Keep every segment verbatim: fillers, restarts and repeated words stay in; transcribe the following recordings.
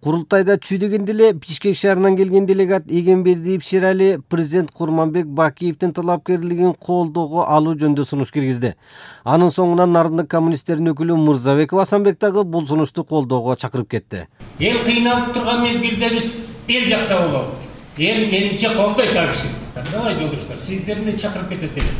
Курултайда чүйдөгөндө эле Бишкек шаарынан келген делегат Эгембердиев Шерали президент Курманбек Бакиевдин талапкерлигин колдоого алуу жөнүндө сунуш киргизди. Анын соңунан Нарындык коммунисттердин өкүлү Мырзабеков Асанбек дагы бул сунушту колдоого чакырып кетти. Эл кыйналып турган мезгилде биз эл жакта болобуз. Эл менимче колдойт ал киши. Давай жолдоштор, сиздер менен чакырып кетет эле.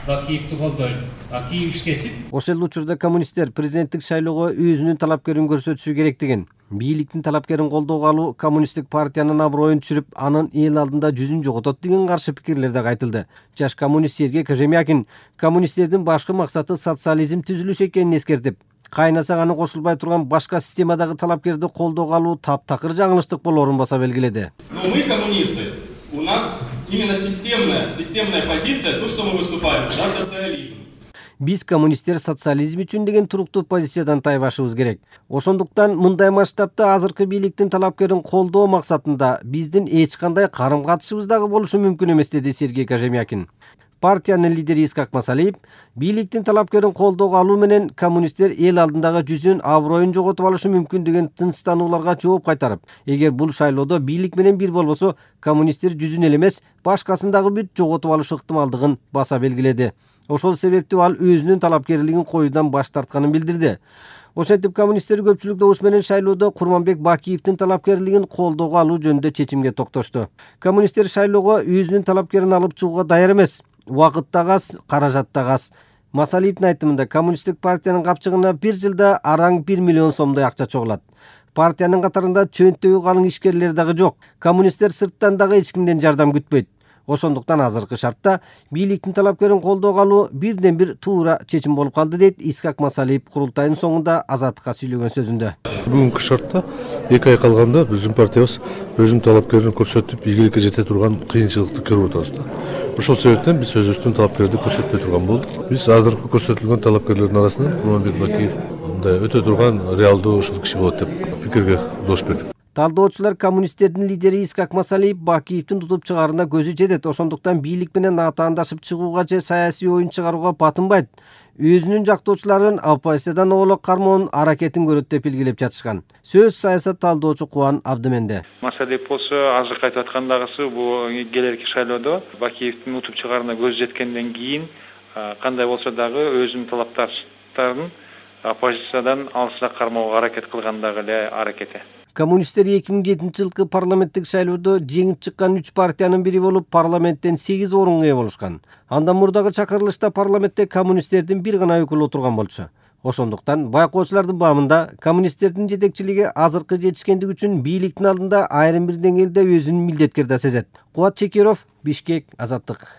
Бакиевди колдойт. Бакиев иштесин. Ошол эле учурда коммунисттер президенттик шайлоого өзүнүн талапкерин көрсөтүшү керектигин, бийликтин талапкерин колдоого алуу коммунисттик партиянын аброюн түшүрүп, анын эл алдында жүзүн жоготот деген каршы пикирлер да айтылды. Жаш коммунист Сергей Кожемякин коммунисттердин башкы максаты социализм түзүлүш экенин эскертип, кайнаса аны кошулбай турган башка системадагы талапкерди колдоого алуу таптакыр жаңылыштык болоорун баса белгиледи. Но мы коммунисты, у нас именно системная, системная позиция, то, что мы выступаем, за социализм. Биз коммунисттер социализм үчүн деген туруктуу позициядан тайбашыбыз керек. Ошондуктан мындай масштабта азыркы бийликтин талапкерин колдоо максатында биздин эч кандай карым-катышыбыз дагы болушу мүмкүн эмес, деди Сергей Кожемякин. Партиянын лидери Искак Масалиев бийликтин талапкерин колдоого алуу менен коммунисттер эл алдындагы жүзүн, аброюн жоготуп алышы мүмкүн деген тынчтанууларга жооп кайтарып, эгер бул шайлоодо бийлик менен бир болбосо, коммунисттер жүзүн эле эмес, башкасын дагы бүт жоготуп алышы ыктымалдыгын баса белгиледи. Ошол себептүү ал өзүнүн талапкерлигин коюудан баш тартканын билдирди. Ошентип коммунисттер көпчүлүк добуш менен шайлоодо Курманбек Бакиевдин талапкерлигин колдоого алуу жөнүндө чечимге токтошту. Коммунисттер шайлоого өзүнүн талапкерин алып чыгууга даяр эмес. Убакыт да аз, каражат да аз. Масалиевдин айтымында коммунисттик партиянын капчыгына бир жылда араң бир миллион сомдой акча чогулат. Партиянын катарында чөнтөгү калың ишкерлер дагы жок. Коммунисттер сырттан дагы эч кимден жардам күтпөйт. Ошондуктан азыркы шартта бийликтин талапкерин колдоого алуу бирден бир туура чечим болуп калды, дейт Искак Масалиев курултайдын соңунда Азаттыкка сүйлөгөн сөзүндө. Бүгүнкү шартта эки ай калганда биздин партиябыз өзүнүн талапкерин көрсөтүп, ийгиликке жете турган кыйынчылыкты көрүп атабыз да. Ошол себептен биз өзүбүздүн талапкерди көрсөтпөй турган болдук. Биз азыркы көрсөтүлгөн талапкерлердин арасынан Курманбек Бакиев мындай өтө турган реалдуу ушул киши болот деп пикирге дош бердик. Талдоочулар коммунисттердин лидери Искак Масалиев Бакиевдин тутуп чыгаарына көзү жетет. Ошондуктан бийлик менен атаандашып чыгууга же саясий оюн чыгарууга батынбайт. Өзүнүн жактоочуларын оппозициядан оолок кармоонун аракетин көрөт деп илгилеп жатышкан. Сөз саясат талдоочу Кубан Абдыменде. Масалиев болсо азыр айтып аткандагысы бул келерки шайлоодо Бакиевдин утуп чыгаарына көзү жеткенден кийин кандай болсо дагы өзүнүн талапташтарын оппозициядан алысыраак кармоого аракет кылган дагы эле аракети. Коммунисттер эки миң жетинчи жылкы парламенттик шайлоодо жеңип чыккан үч партиянын бири болуп, парламенттен сегиз орунга ээ болушкан. Андан мурдагы чакырылышта парламентте коммунисттердин бир гана өкүлү отурган болчу. Ошондуктан байкоочулардын баамында коммунисттердин жетекчилиги азыркы жетишкендик үчүн бийликтин алдында айрым бир деңгээлде өзүн милдеткер да сезет. Кубат Чекиров, Бишкек, Азаттык.